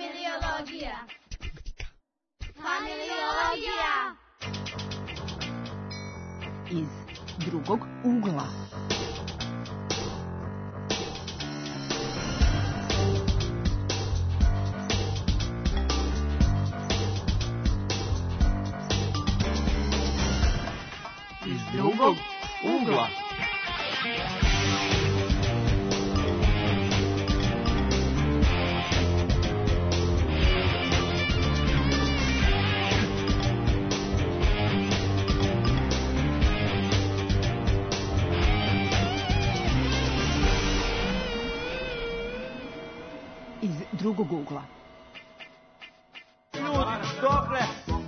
Familiologija. Familiologija. Iz drugog ugla. Iz drugog ugla. Drugog ugla. Dokle,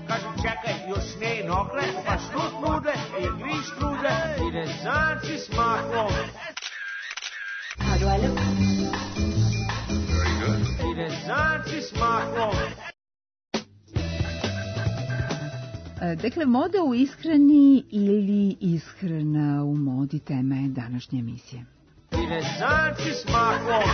kažu čekaj, još ne nokle, pa štut nude, griš nude, i rezanci s makom. How do I look? Very good. I rezanci s makom. Dakle, moda u ishrani ili ishrana u modi tema je današnje emisije. I rezanci s makom.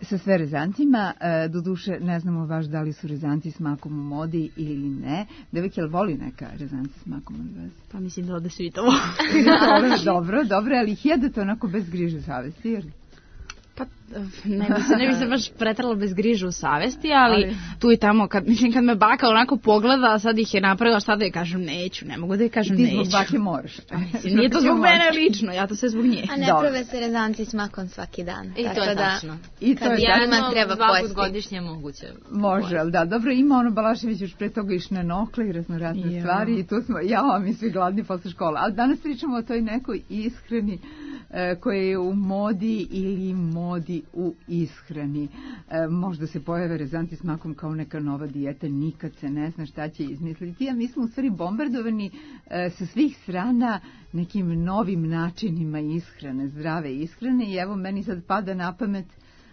Sa sve rezantima, doduše ne znamo baš da li su rezanci s makom u modi ili ne. Devojke, jel voli neka rezanci s makom od vas? Pa mislim da ovde svi to vole. Dobro, ali ih jedete onako bez griže savesti, jer... Pa ne bi se baš pretrala bez griže u savesti, ali tu i tamo, kad me baka onako pogleda, sad ih je napravila, šta da je kažem neću, ne mogu da je kažem neću. Ti zbog bake moraš. Mislim, nije to zbog mene lično, ja to sve zbog nje. A ne prave se rezanci s makom svaki dan. I to je tačno. Kad jednom treba pojesti. 2 put godišnje moguće. Može, ali da, dobro, ima ono Balašević još pre toga išne nokle i raznorazne stvari i tu smo, mi svi gladni posle škola. Ali danas pričamo o toj nekoj ishrani koja je u modi ili modi u ishrani. Možda se pojave rezanci s makom kao neka nova dijeta, nikad se ne zna šta će izmisliti, a mi smo u stvari bombardovani sa svih strana nekim novim načinima ishrane, zdrave ishrane i evo meni sad pada na pamet,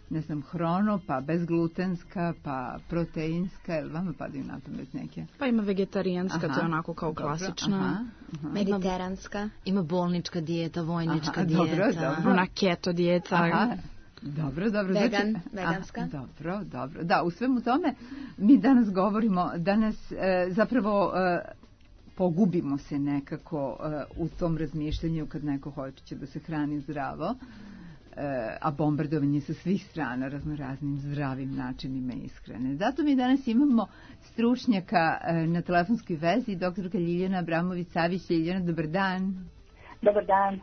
ne znam, hrono, pa bezglutenska, pa proteinska, ili vama padaju na pamet neke? Pa ima vegetarijanska, to je onako kao klasična. Mediteranska. Ima bolnička dijeta, vojnička dijeta. Dobro. Ona keto dijeta. Dobro. Veganska. Dobro. Da, u svemu tome mi danas govorimo, zapravo pogubimo se nekako u tom razmišljanju kad neko hoće da se hrani zdravo, a bombardovanje sa svih strana raznoraznim zdravim načinima ishrane. Zato mi danas imamo stručnjaka na telefonskoj vezi, doktorka Ljiljana Abramović-Savić. Ljiljana, dobar dan. Dobar dan.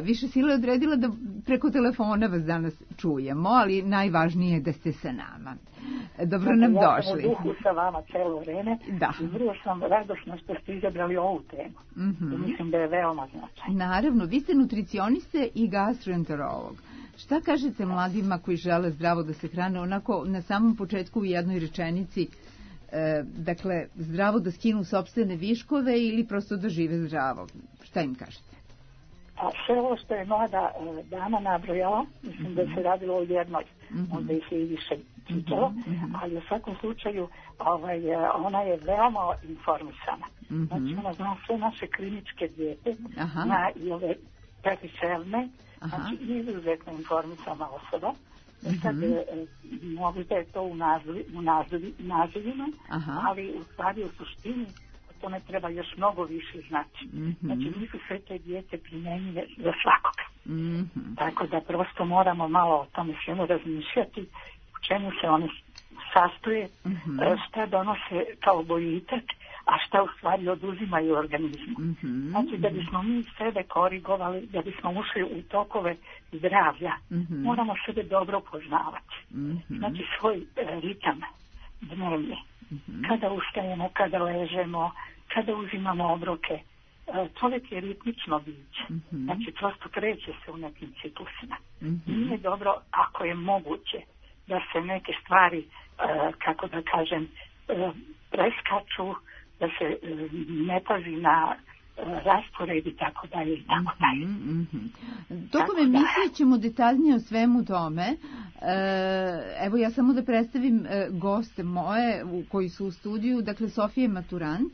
Više Sila je odredila da preko telefona vas danas čujemo, ali najvažnije je da ste sa nama. Dobro nam došli. Ja sam u duhu sa vama celo vreme i vrlo sam radosna što ste izabrali ovu temu. Mislim da je veoma značajna. Naravno, vi ste nutricioniste i gastroenterolog. Šta kažete mladima koji žele zdravo da se hrane, onako na samom početku u jednoj rečenici, dakle, zdravo da skinu sopstvene viškove ili prosto da žive zdravo? Šta im kažete? A sve ovo što je mlada dama nabrojala, mislim da se radilo o jednoj, onda ih je i više čitalo, ali u svakom slučaju ona je veoma informisana. Znači ona zna sve naše kliničke dijete, zna i ove periferne, znači izuzetno informisana osoba. Sad možda je to u nazivima, ali u stvari u suštini to ne treba još mnogo više znači. Znači nisu sve te dijete primjenjive za svakoga. Tako da prosto moramo malo o tome svemu razmišljati, u čemu se one sastoje, šta donose kao boljitak, a šta u stvari oduzimaju organizmu. Znači da bismo mi sebe korigovali, da bismo ušli u tokove zdravlja, moramo sebe dobro poznavati. Znači svoj ritam dnevni. Kada ustajemo, kada ležemo, kada uzimamo obroke. Čovjek je ritmično biće. Znači, prosto kreće se u nekim ciklusima. Nije dobro, ako je moguće, da se neke stvari, kako da kažem, preskaču, da se ne pazi na raspored i tako dalje i tako dalje. Tokom emisije ćemo detaljnije o svemu tome. Evo ja samo da predstavim goste moje koji su u studiju, dakle Sofija je maturant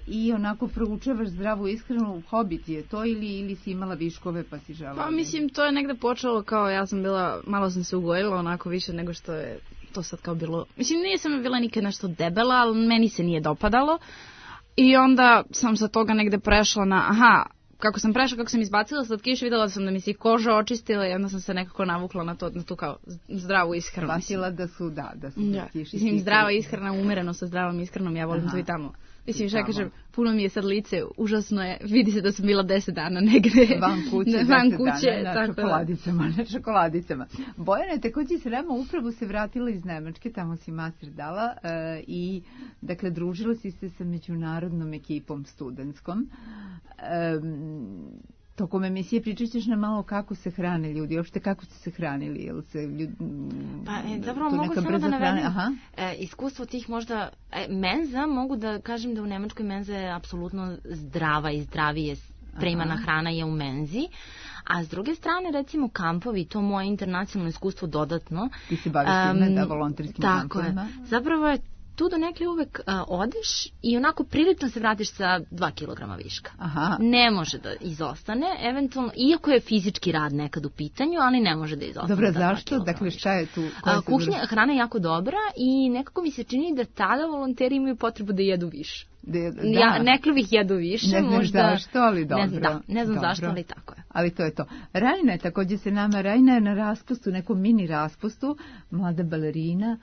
i onako proučavaš zdravu ishranu, hobi ti je to ili si imala viškove pa si žela? Pa mislim to je negde počelo kao ja sam bila, malo sam se ugojila onako više nego što je to sad kao bilo, mislim nisam bila nikad nešto debela, ali meni se nije dopadalo i onda sam sa toga negde prešla na, kako sam prešla, kako sam izbacila slatkiš, videla sam da mi se koža očistila i onda sam se nekako navukla na tu kao zdravu ishranu. Shvatila da su slatkiši. Mislim, zdrava ishrana, umereno sa zdravom ishranom, ja volim to i tamo. Mislim, što ja kažem, puno mi je sad lice, užasno je, vidi se da sam bila 10 dana negde van kuće na čokoladicama. Bojana, takođe se nama upravo se vratila iz Nemačke, tamo si master dala i dakle družila si se sa međunarodnom ekipom studentskom. Tokom emisije pričat ćeš nam malo kako se hrane ljudi, uopšte kako ste se hranili, jel se ljudi... Zapravo mogu samo da navedem iskustvo tih možda menza, mogu da kažem da u Nemačkoj menza je apsolutno zdrava i zdravije spremana hrana je u menzi, a s druge strane recimo kampovi, to moje internacionalno iskustvo dodatno. Ti se baviš time, volonterskim kampovima. Tako je, zapravo je tu do nekli uvek odeš i onako prilično se vratiš sa 2 kilograma viška. Ne može da izostane, eventualno, iako je fizički rad nekad u pitanju, ali ne može da izostane. Dobro, zašto? Dakle, šta je tu? Hrana je jako dobra i nekako mi se čini da tada volonteri imaju potrebu da jedu više. Neklovih jedu više. Ne znam zašto, ali dobro. Ne znam zašto, ali tako je. Ali to je to. Rajna je također se nama, Rajna je na raspustu, nekom mini raspustu, mlada balerina,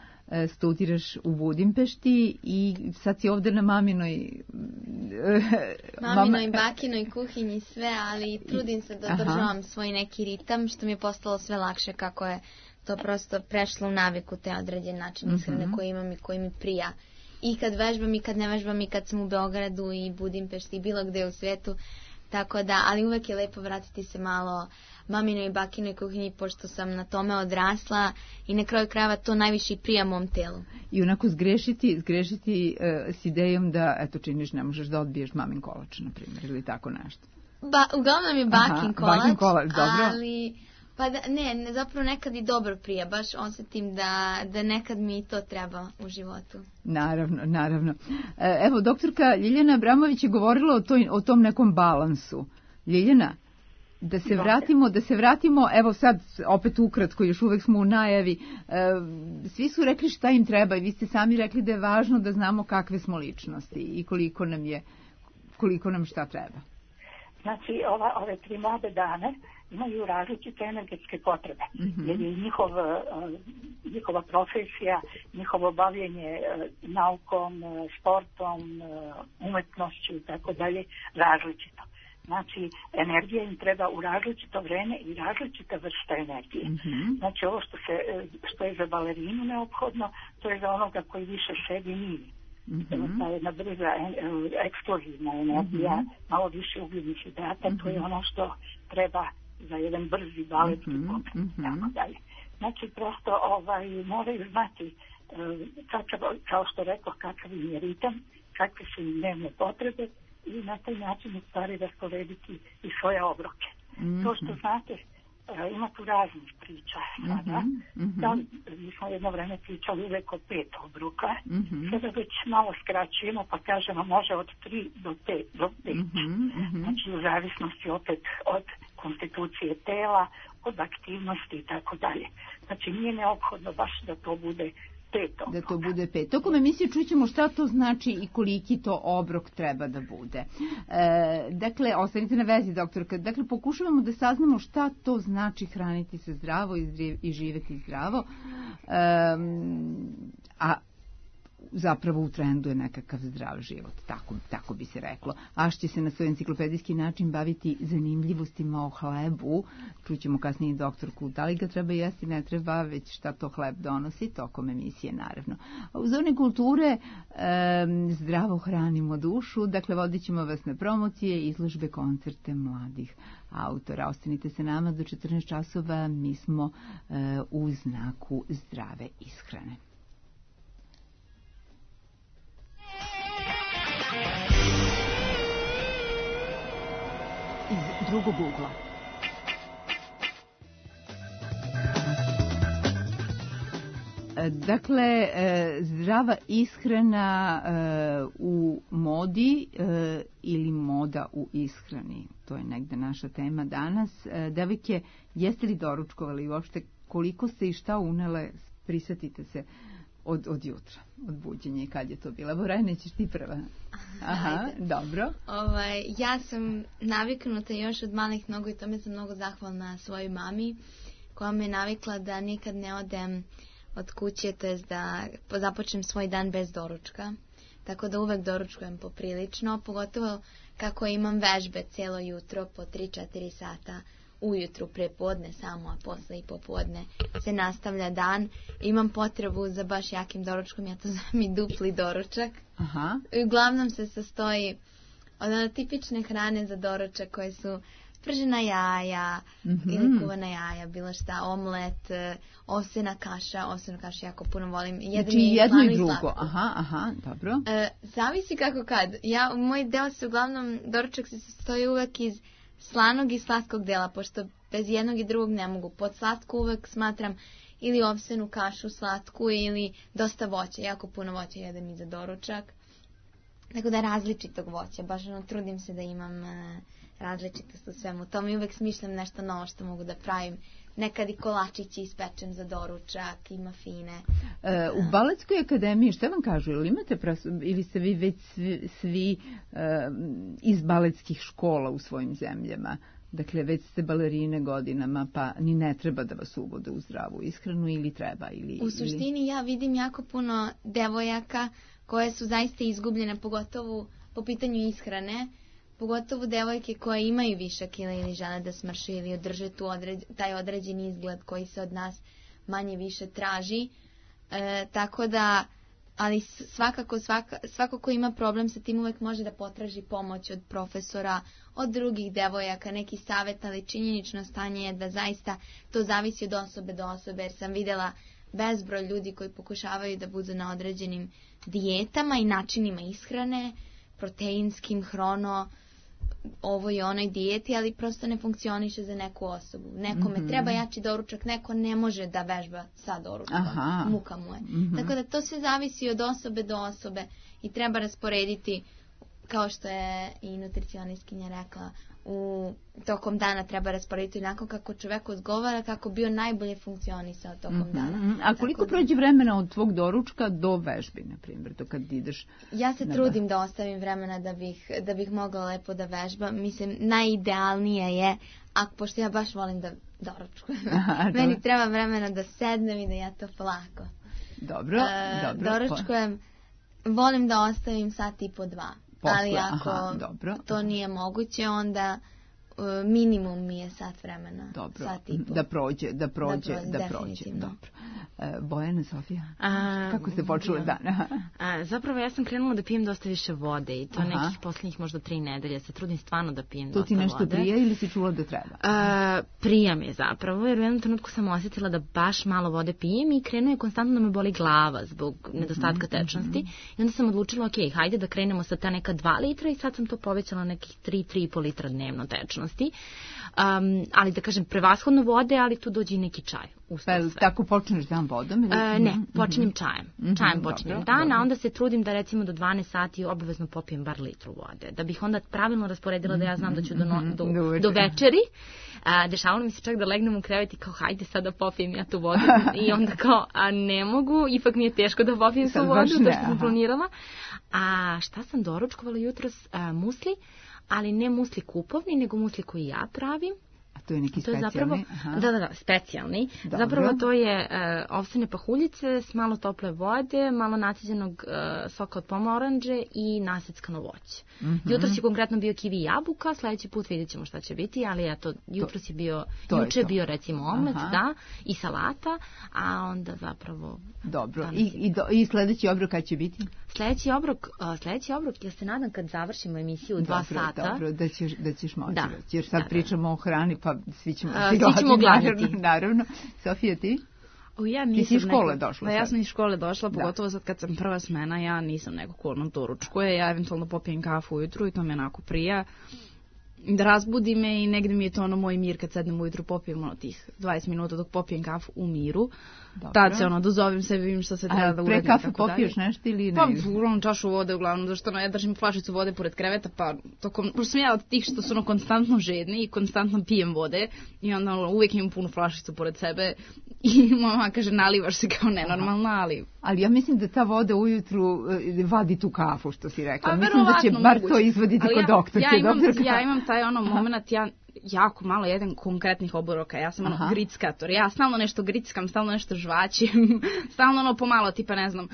studiraš u Budimpešti i sad si ovdje na maminoj bakinoj kuhinji sve, ali trudim se da održavam svoj neki ritam, što mi je postalo sve lakše kako je to prosto prešlo u naviku, te određen način ishrane koji imam i koji mi prija. I kad vežbam i kad ne vežbam i kad sam u Beogradu i Budimpešti i bilo gde u svetu, tako da, ali uvek je lepo vratiti se malo maminoj i bakinoj kuhinji, pošto sam na tome odrasla i na kraju krajeva to najviše i prija mom telu. I onako zgrešiti s idejom da, eto činiš, ne možeš da odbiješ mamin kolač, na primjer, ili tako nešto. Uglavnom je bakin kolač, dobro. Ali... Pa ne, zapravo nekad i dobro prija, baš osjetim da nekad mi to treba u životu. Naravno. Evo, doktorka Ljiljana Abramović je govorila o tom nekom balansu. Ljiljana, da se vratimo, evo sad, opet ukratko, još uvek smo u najavi, svi su rekli šta im treba i vi ste sami rekli da je važno da znamo kakve smo ličnosti i koliko nam šta treba. Znači, ove 3 mlade dane imaju različite energetske potrebe, jer je njihova profesija, njihovo bavljenje naukom, sportom, umetnošću i tako dalje različito. Znači, energija im treba u različito vreme i različita vrsta energije. Znači, ovo što je za balerinu neophodno, to je za onoga koji više sebi nije. Ta jedna brza eksplozivna energija, malo više ugljenih hidrata, to je ono što treba za jedan brzi baletski pokret, tako dalje. Znači, prosto moraju znati kao što rekao, kakav im je ritam, kakve su im dnevne potrebe i na taj način u stvari rasporediti i svoje obroke. To što znate, ima tu raznih priča sada. Mi smo jedno vreme pričali uvek o 5 obroka. Sada već malo skraćujemo pa kažemo može od 3 do 5. Znači u zavisnosti opet od konstitucije tela, od aktivnosti i tako dalje. Znači nije neophodno baš da to bude 5. Da to bude 5. Tokom emisije čućemo šta to znači i koliki to obrok treba da bude. Dakle, ostanite na vezi, doktorka. Dakle, pokušavamo da saznamo šta to znači hraniti se zdravo i živeti zdravo. A zapravo u trendu je nekakav zdrav život, tako bi se reklo. Aš će se na svoj enciklopedijski način baviti zanimljivostima o hlebu. Čućemo kasnije doktorku da li ga treba jesti, ne treba, već šta to hleb donosi, tokom emisije naravno. A u zoni kulture zdravo hranimo dušu, dakle vodit ćemo vas na promocije, izložbe, koncerte mladih autora. Ostanite se nama do 14 časova, mi smo u znaku zdrave ishrane. Iz drugog ugla. Dakle, zdrava ishrana u modi ili moda u ishrani. To je negde naša tema danas. Devojke, jeste li doručkovali uopšte, koliko ste i šta unele Prisetite se od jutra, od buđenja i kad je to bila. Borajne, ćeš ti prva. Aha, dobro. Ja sam naviknuta još od malih nogu i tome sam mnogo zahvalna svojoj mami, koja me navikla da nikad ne odem od kuće, to jest da započnem svoj dan bez doručka. Tako da uvek doručkujem poprilično, pogotovo kako imam vežbe cijelo jutro po 3-4 sata ujutru, prepodne samo, a posle i popodne se nastavlja dan. Imam potrebu za baš jakim doručkom, ja to zovem i dupli doručak. Aha. Uglavnom se sastoji od tipične hrane za doručak koje su pržena jaja ili kuvana jaja, bilo šta, omlet, ovsena kaša jako puno volim. Znači jedno i drugo, aha, dobro. Zavisi kako kad. Moj deo se uglavnom, doručak se sastoji uvek iz slanog i slatkog dela, pošto bez jednog i drugog ne mogu. Pod slatku uvek smatram ili ovsenu kašu slatku ili dosta voća, jako puno voća jedem i za doručak. Tako da različitog voća, baš trudim se da imam različitost u svemu tom i uvek smišljam nešto novo što mogu da pravim. Nekad i kolačići ispečem za doručak i mafine. U Baletskoj akademiji, što vam kažu, ili ste vi već svi iz baletskih škola u svojim zemljama? Dakle, već ste balerine godinama, pa ni ne treba da vas uvode u zdravu ishranu ili treba? U suštini ja vidim jako puno devojaka koje su zaista izgubljene, pogotovo po pitanju ishrane, pogotovo devojke koje imaju višak kila ili žele da smrše ili održe taj određeni izgled koji se od nas manje više traži. Tako da, ali svako ko ima problem sa tim uvek može da potraži pomoć od profesora, od drugih devojaka, neki savjet, ali činjenično stanje je da zaista to zavisi od osobe do osobe, jer sam videla bezbroj ljudi koji pokušavaju da budu na određenim dijetama i načinima ishrane, proteinskim, hrono, ovo i onoj dijeti, ali prosto ne funkcioniše za neku osobu. Nekome treba jači doručak, neko ne može da vežba sa doručkom, muka mu je. Tako da to sve zavisi od osobe do osobe i treba rasporediti, kao što je i nutricionistkinja rekla, tokom dana treba rasporediti onako kako čovek odgovara, kako bio najbolje funkcionisao tokom dana. A koliko prođe vremena od tvog doručka do vežbi, na primjer, do kad ideš? Ja se trudim da ostavim vremena da bih mogla lepo da vežbam. Mislim, najidealnije je, pošto ja baš volim da doručkujem, meni treba vremena da sednem i da ja to polako. Dobro. Doručkujem, volim da ostavim sat i po 2. Ali ako to nije moguće, onda minimum mi je sat vremena. Dobro, sat i po. Da prođe. Dobro. Bojana, Sofija, kako ste počeli dan? Zapravo ja sam krenula da pijem dosta više vode i to nekih posljednjih možda 3 nedelje. Se trudim stvarno da pijem dosta vode. To ti nešto prija ili si čula da treba? Prija mi je zapravo, jer u jednom trenutku sam osjetila da baš malo vode pijem i krenuo je konstantno da me boli glava zbog nedostatka tečnosti. I onda sam odlučila, ok, hajde da krenemo sa ta neka 2 litra i sad sam to povećala nekih 3,5 litra dnevno tečnosti. Ali da kažem, prevashodno vode, ali tu dođe i neki čaj. Tako počneš dan vodom? Ne, počinjem čajem. Čajem počinjem dan, a onda se trudim da recimo do 12 sati obavezno popijem bar litru vode. Da bih onda pravilno rasporedila da ja znam da ću do večeri. Dešavalo mi se čak da legnem u krevet i kao hajde sad da popijem ja tu vodu. I onda kao, ne mogu, ipak mi je teško da popijem tu vodu, to što sam planirala. A šta sam doručkovala jutros? Musli, ali ne musli kupovni, nego musli koji ja pravim. A to je neki specijalni? Da, specijalni. Dobro. Zapravo to je ovsene pahuljice s malo tople vode, malo naciđenog soka od pomoranđe i naseckano voće. Jutros je konkretno bio kivi i jabuka, sledeći put vidjet ćemo šta će biti, ali eto, jutros je bio, juče je bio recimo omlet, i salata, a onda zapravo... Dobro, i sledeći obrok kad će biti? Sledeći obrok, ja se nadam kad završimo emisiju 2 sata. Dobro, da ćeš moći. Jer sad pričamo o hrani, pa svi ćemo gladiti. Naravno. Sofija, ti? Ti si iz škole došla? Ja sam iz škole došla, pogotovo sad kad sam prva smena, ja nisam neko ko na doručkuje, ja eventualno popijem kafu ujutru i to me onako prija. da razbudi me i negde mi je to ono moj mir kad sednem ujutru, popijem ono tih 20 minuta dok popijem kafu u miru. Dobro. Tad se ono dozovem sebi, vidim šta se treba da uradim. Pre kafe popiješ nešto ili ne? Pa uglavnom čašu vode uglavnom, zašto ja držim flašicu vode pored kreveta, pa pošto sam ja od tih što su ono konstantno žedni i konstantno pijem vode i onda uvijek imam punu flašicu pored sebe i mama kaže nalivaš se kao nenormalna, ali... Ali ja mislim da ta voda ujutru vadi tu kafu, što si rekla. Mislim da će bar to izvaditi kod doktorke. Ja imam taj ono moment, ja jako malo jedem konkretnih obroka, ja sam ono grickator, ja stalno nešto grickam, stalno nešto žvaćim, stalno ono pomalo, tipa ne znam,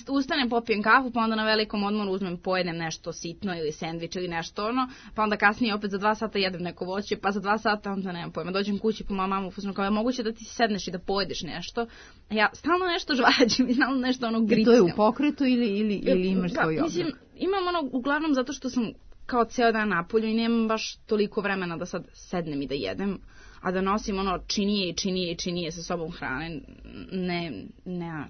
ustanem, popijem kafu, pa onda na velikom odmoru uzmem, pojedem nešto sitno ili sendvič ili nešto ono, pa onda kasnije opet za 2 sata jedem neko voće, pa za 2 sata onda nemam pojma, dođem kući pa mamu fuznu kao, moguće da ti sedneš i da pojedeš nešto, a ja stalno nešto žvaćim i stalno nešto ono grickam. I to je u pokretu ili imaš svoj obrok? Mislim, imam ono uglavnom zato što sam kao ceo dan napolju i nemam baš toliko vremena da sad sednem i da jedem, a da nosim ono činije sa sobom hrane, ne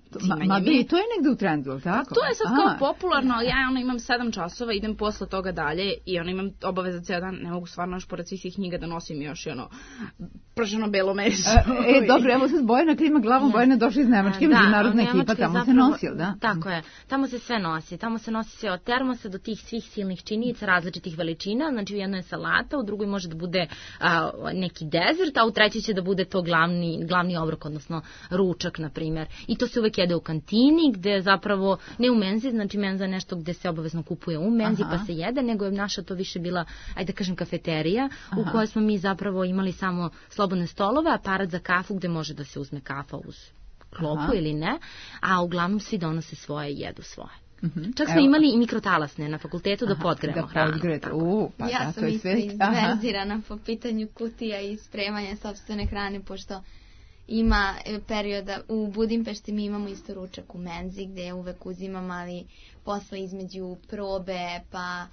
i to je negde u trendu, tako? To je sad kao popularno, ali ja ono imam 7 časova, idem posle toga dalje i ono imam obaveza ceo dan, ne mogu stvarno još pored svih tih knjiga da nosim još i ono prženo belo meso. Dobro, evo sad Bojana klima glavom, Bojana došla iz Nemačke, međunarodna ekipa, tamo se nosi, da? Tako je, tamo se sve nosi, tamo se nosi sve od termosa do tih svih silnih činjenica, različitih veličina, znači u jednoj je salata, u drugoj može da bude neki dezert, a u treći će da bude to glavni obrok, odnosno ručak, na primjer. I to se uvek jede u kantini, gde zapravo, ne u menzi, znači menza je nešto gde se obavezno kupuje u menzi pa se jede, nego je naša to više bila, ajde da kažem, kafeterija, u kojoj smo mi zapravo imali samo slobodne stolove, aparat za kafu gde može da se uzme kafa uz klopu ili ne, a uglavnom svi donose svoje i jedu svoje. Čak smo imali i mikrotalasne na fakultetu da podgremo hranu. Ja sam isto izverzirana po pitanju kutija i spremanja sopstvene hrane, pošto ima perioda, u Budimpešti mi imamo isto ručak u menzi gde uvek uzimam, ali posle između probe, pa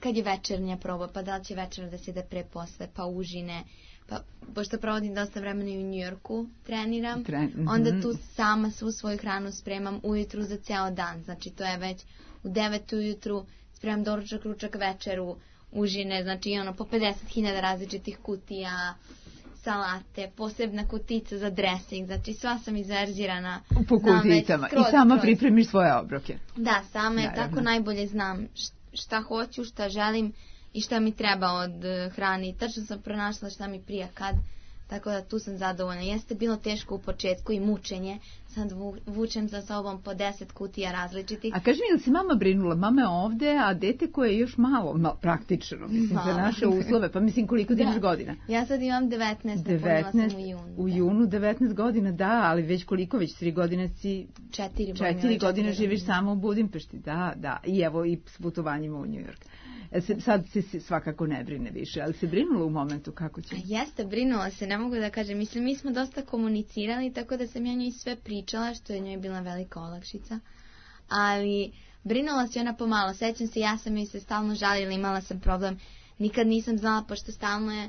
kad je večernja proba, pa da li će večera da se ide pre posle, pa užine, pa pošto provodim dosta vremena i u Njujorku treniram, onda tu sama svu svoju hranu spremam ujutru za ceo dan, znači to je već u 9 ujutru spremam doručak, ručak, večeru, užine, znači ono po 50.000 različitih kutija, salate, posebna kutica za dressing, znači sva sam izverzirana. Po kuticama i sama pripremiš svoje obroke. Da, sama je tako najbolje znam šta hoću, šta želim i šta mi treba od hrane. Tačno sam pronašla šta mi prija kad, tako da tu sam zadovoljna. Jeste bilo teško u početku i mučenje, sad vučem za sobom po 10 kutija različitih. A kaži mi, ili si mama brinula? Mama je ovde, a dete koje je još malo praktično, mislim, za naše uslove, pa mislim koliko ti imaš godina? Ja sad imam 19, napunila sam u junu. U junu 19 godina, da, ali već koliko, već 3 godine si... 4 godine živiš samo u Budimpešti, da, i evo i s putovanjima u New York. Sad se svakako ne brine više, ali se brinula u momentu kako će? Jeste, brinula se, ne mogu da kažem. Mislim, mi smo dosta komunicirali, tako da sam ja njoj sve pričala, što je njoj bila velika olakšica. Ali brinula se ona pomalo. Sećam se, ja sam joj se stalno žalila, imala sam problem. Nikad nisam znala, pošto stalno je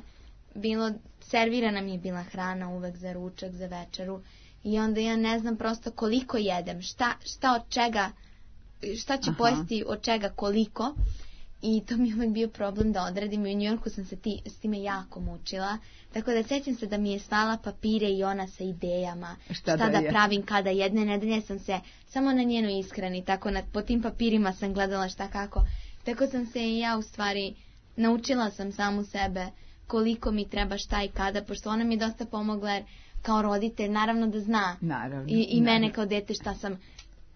bilo, servirana mi je bila hrana uvek za ručak, za večeru. I onda ja ne znam prosto koliko jedem, šta od čega, šta ću pojesti od čega koliko. I to mi je uvijek bio problem da odredim i u Njujorku sam se s time jako mučila. Tako da sećam se da mi je slala papire i ona sa idejama šta da pravim kada jedne nedelje sam se samo na njenoj ishrani. Tako po tim papirima sam gledala šta kako. Tako sam se i ja u stvari naučila sam samu sebe koliko mi treba šta i kada. Pošto ona mi je dosta pomogla jer kao roditelj naravno da zna. I mene kao dete šta sam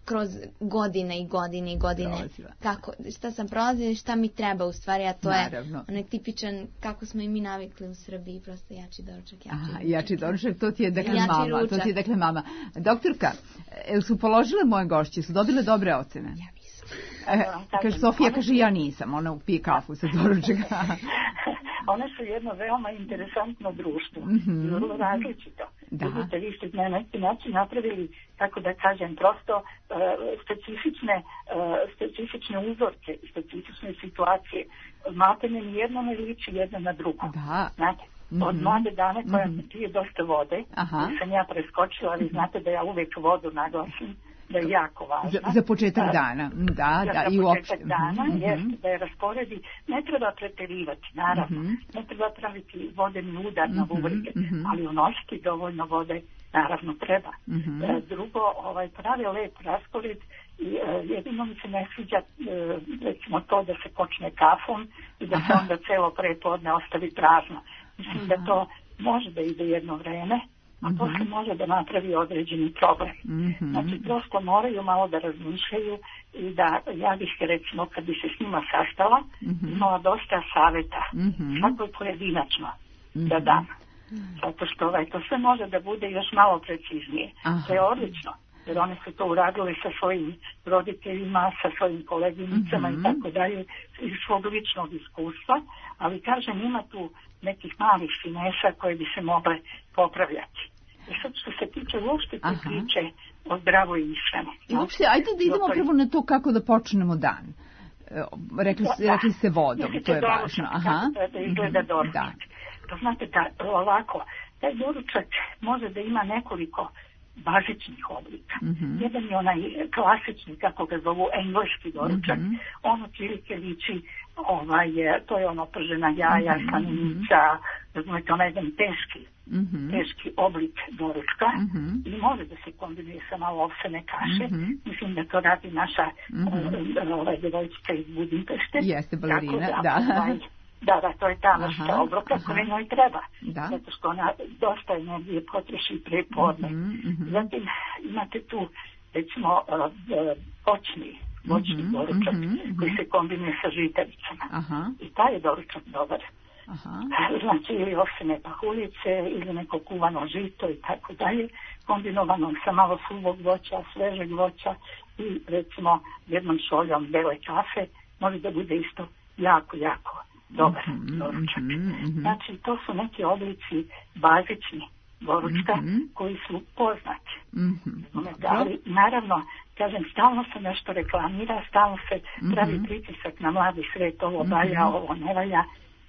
kroz godine i godine šta sam prolazila i šta mi treba u stvari, a to je onaj tipičan kako smo i mi navikli u Srbiji, prosto jači doručak, jači doručak, to ti je dakle mama. Doktorka, su položile moje gošće, su dobile dobre ocene? Ja nisam. Kaže Sofija, kaže ja nisam, ona pije kafu sa doručaka. One su jedno veoma interesantno društvo, vrlo različito. Vidite, vi ste na neki način napravili, tako da kažem, prosto specifične uzorke, specifične situacije. Maltene ni jedno ne liči jedno na drugo. Znate, od mlade dame koja pije dosta vode, sam ja preskočila, ali znate da ja uvek vodu naglasim, da je jako važna. Za početak dana, i uopšte. Za početak dana, jeste da je rasporedi, ne treba preterivati, naravno, ne treba praviti vodeni udar na bubrege, ali unositi dovoljno vode, naravno treba. Drugo, pravi lep raspored, jedino mi se ne sviđa recimo to da se počne kafom i da se onda celo prepodne ostavi prazno. Mislim da to može da ide jedno vreme, a to se može da napravi određeni problem. Znači, prosto moraju malo da razmišljaju i da, ja bih recimo, kad bi se s njima sastala, imala dosta saveta, svakoj pojedinačno da dam. Zato što to sve može da bude još malo preciznije. To je odlično, jer one su to uradile sa svojim roditeljima, sa svojim koleginicama i tako dalje, iz svog ličnog iskustva, ali kažem, ima tu nekih malih finesa koje bi se mogle popravljati. I sad što se tiče uopšte te priče o zdravoj ishrani. I uopšte, ajde da idemo prvo na to kako da počnemo dan. Rekli ste vodom, to je važno. Kako da izgleda doručak. To znate da ovako, taj doručak može da ima nekoliko bazičnih oblika. Jedan je onaj klasični, kako ga zovu, engleski doručak. On otprilike liči, to je ono pržena jaja, slanica, razumete, onaj jedan teški oblik doručka i može da se kombinuje sa malo ovsene kaše. Mislim da to radi naša devojčica iz Budimpešte. Jeste, balerina, da. Da, to je ta vrsta obroka koja njoj treba. Zato što ona dosta energije potroši prepodne. Zatim imate tu, recimo, voćni doručak koji se kombinuje sa žitaricama. I taj je doručak dobar. Znači, ili ovsene pahuljice, ili neko kuvano žito i tako dalje, kombinovano sa malo suvog voća, svežeg voća i, recimo, jednom šoljom bele kafe, može da bude isto jako dobar doručak. Znači, to su neki oblici bazični doručka koji su poznati. Ali, naravno, kažem, stalno se nešto reklamira, stalno se pravi pritisak na mladi svet, ovo valja, ovo ne valja,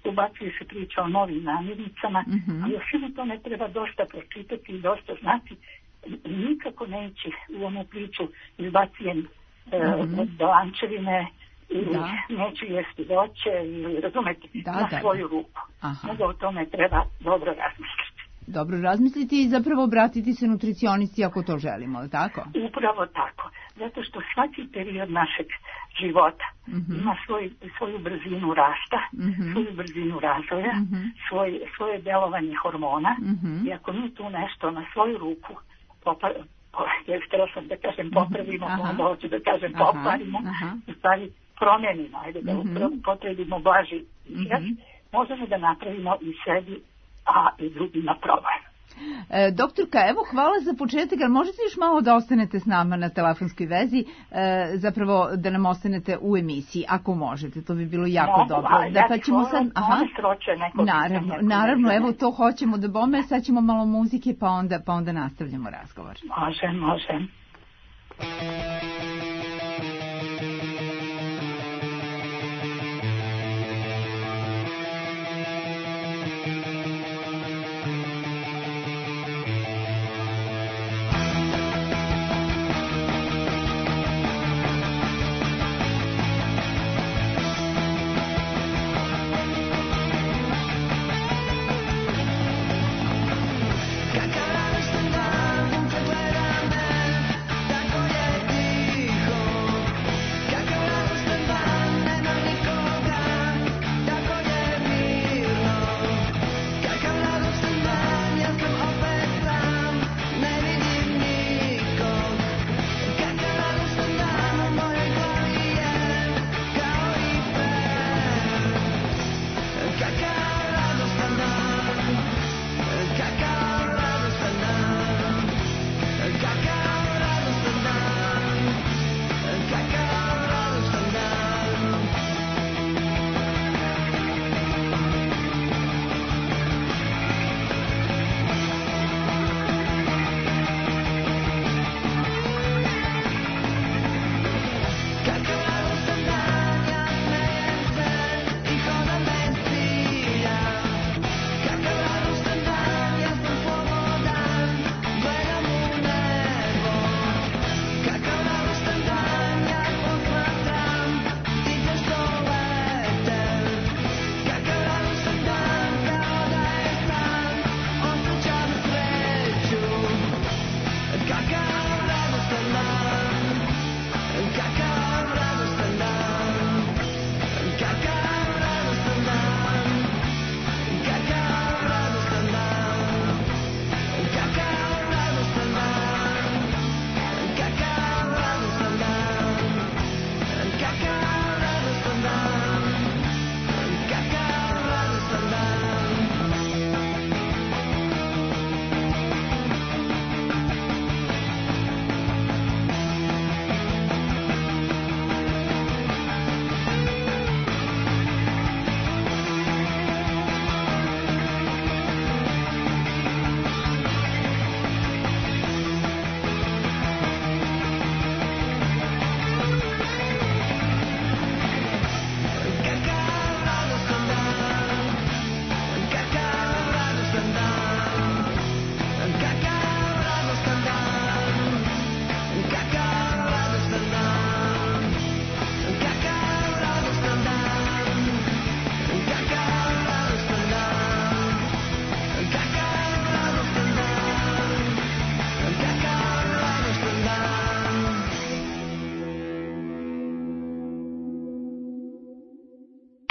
ubacuje se priča o novim namirnicama, ali o svemu to ne treba dosta pročitati i dosta znati. Nikako ne ići u onu priču izbacijem dolančevine ili neću jesti voće ili razumeti na svoju ruku. Nego o tome treba dobro razmisliti. Dobro razmisliti i zapravo obratiti se nutricionisti ako to želimo, tako? Upravo tako. Zato što svaki period našeg života ima svoju brzinu rasta, svoju brzinu razvoja, svoje delovanje hormona i ako mi tu nešto na svoju ruku htjela sam da kažem popravimo, onda hoću da kažem popravimo, u stvari promenimo, ajde da potrebimo blaži izraz, možemo da napravimo i sebi, a i drugima problem. Doktorka, evo hvala za početak, ali možete još malo da ostanete s nama na telefonskoj vezi, zapravo da nam ostanete u emisiji, ako možete, to bi bilo jako dobro. Dakle, ćemo sad... Naravno, evo to hoćemo da bome, sad ćemo malo muzike, pa onda nastavljamo razgovor. Može. Kako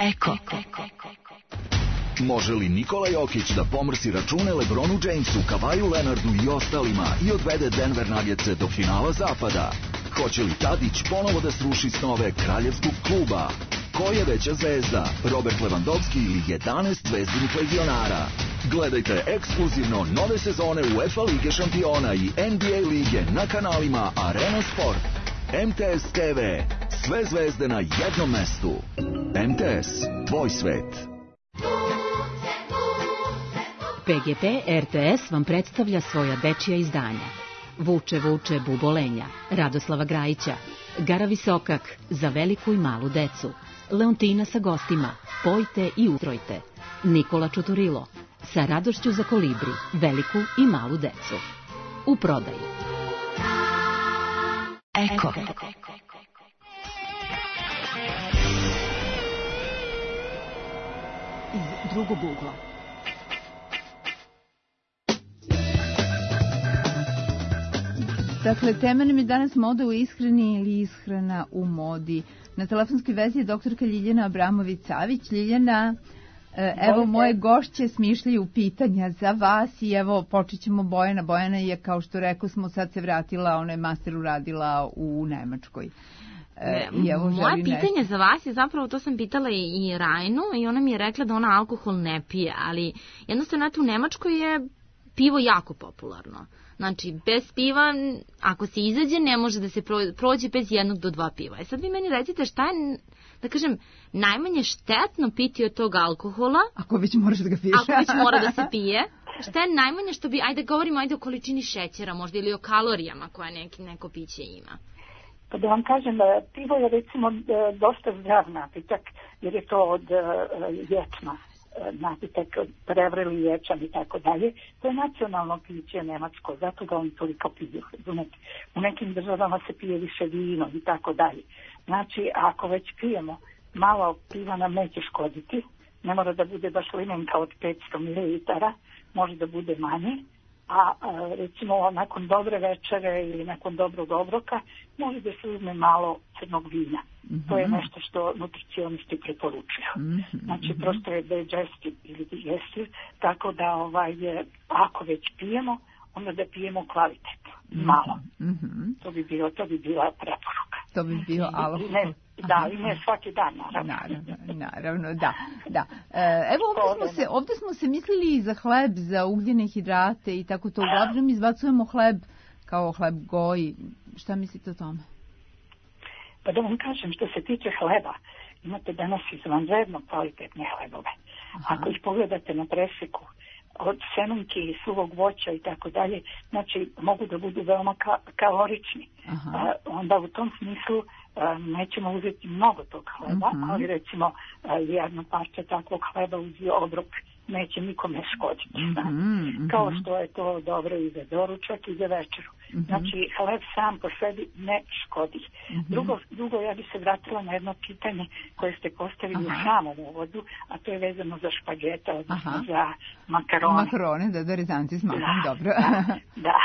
Eko. Može li Nikola Jokić da pomrsi račune LeBronu Jamesu, Kavaju Leonardu i ostalima i odvede Denver Nuggetse do finala zapada? Hoće li Tadić ponovo da sruši snove kraljevskog kluba? Ko je veća zvezda, Robert Lewandowski ili 11 zvezdinih legionara? Gledajte ekskluzivno nove sezone UEFA Lige šampiona i NBA lige na kanalima Arena Sport. MTS TV. Sve zvezde na jednom mestu. MTS. Tvoj svet. PGP RTS vam predstavlja svoja dečija izdanja. Vuče, vuče, bubolenja, Radoslava Grajića, Gara Visokak, za veliku i malu decu, Leontina sa gostima, Pojte i utrojte, Nikola Čuturilo, sa radošću za kolibri, veliku i malu decu. U prodaji. Eko. Iz drugog ugla. Dakle, tema nam je danas moda u ishrani ili ishrana u modi. Na telefonskoj vezi je doktorka Ljiljana Abramović-Savić. Ljiljana, evo moje gošće smišljaju pitanja za vas i evo počet ćemo Bojana. Bojana je, kao što rekao smo, sad se vratila, ona je master uradila u Nemačkoj. Moje pitanje za vas je zapravo, to sam pitala i Rajnu i ona mi je rekla da ona alkohol ne pije, ali jednostavno u Nemačkoj je pivo jako popularno. Znači, bez piva, ako se izađe, ne može da se prođe bez 1 do 2 piva. Sad vi meni recite šta je, da kažem, najmanje štetno piti od tog alkohola. Ako već moraš da ga piješ. Ako već mora da se pije. Šta je najmanje što bi, ajde govorimo o količini šećera možda ili o kalorijama koja neko piće ima. Pa da vam kažem, pivo je recimo dosta zdrav napitak, jer je to od ječma. Napitak, prevreli ječam i tako dalje. To je nacionalno piće nemačko, zato ga oni toliko piju. U nekim državama se pije više vino i tako dalje. Znači, ako već pijemo, malo piva nam neće škoditi. Ne mora da bude baš limenka od 500 ml, može da bude manje. A recimo nakon dobre večere ili nakon dobrog obroka može da se uzme malo crnog vina. To je nešto što nutricionisti preporučuju. Znači prosto je digestive ili digestive, tako da ako već pijemo, onda da pijemo kvalitetno, malo. To bi bila preporuka. To bi bio alkohol. Da, ali ne svaki dan, naravno, da. Evo, ovdje smo se mislili za hleb, za ugljene hidrate i tako to. Uglavnom izbacujemo hleb kao hleb goji. Šta mislite o tome? Pa da vam kažem, što se tiče hleba, imate danas izvanredno kvalitetne hlebove. Ako ih pogledate na preseku, od semenke i suvog voća i tako dalje, znači mogu da budu veoma kalorični. Onda u tom smislu nećemo uzeti mnogo tog hleba, ali recimo jedno parče takvog hleba uz obrok neće nikome škoditi. Kao što je to dobro i za doručak i za večeru. Znači, hleb sam po sebi ne škodi. Drugo, ja bi se vratila na jedno pitanje koje ste postavili u samom uvodu, a to je vezano za špagete, odnosno za makarone. Makarone, da, rezanci s makom, dobro. Da.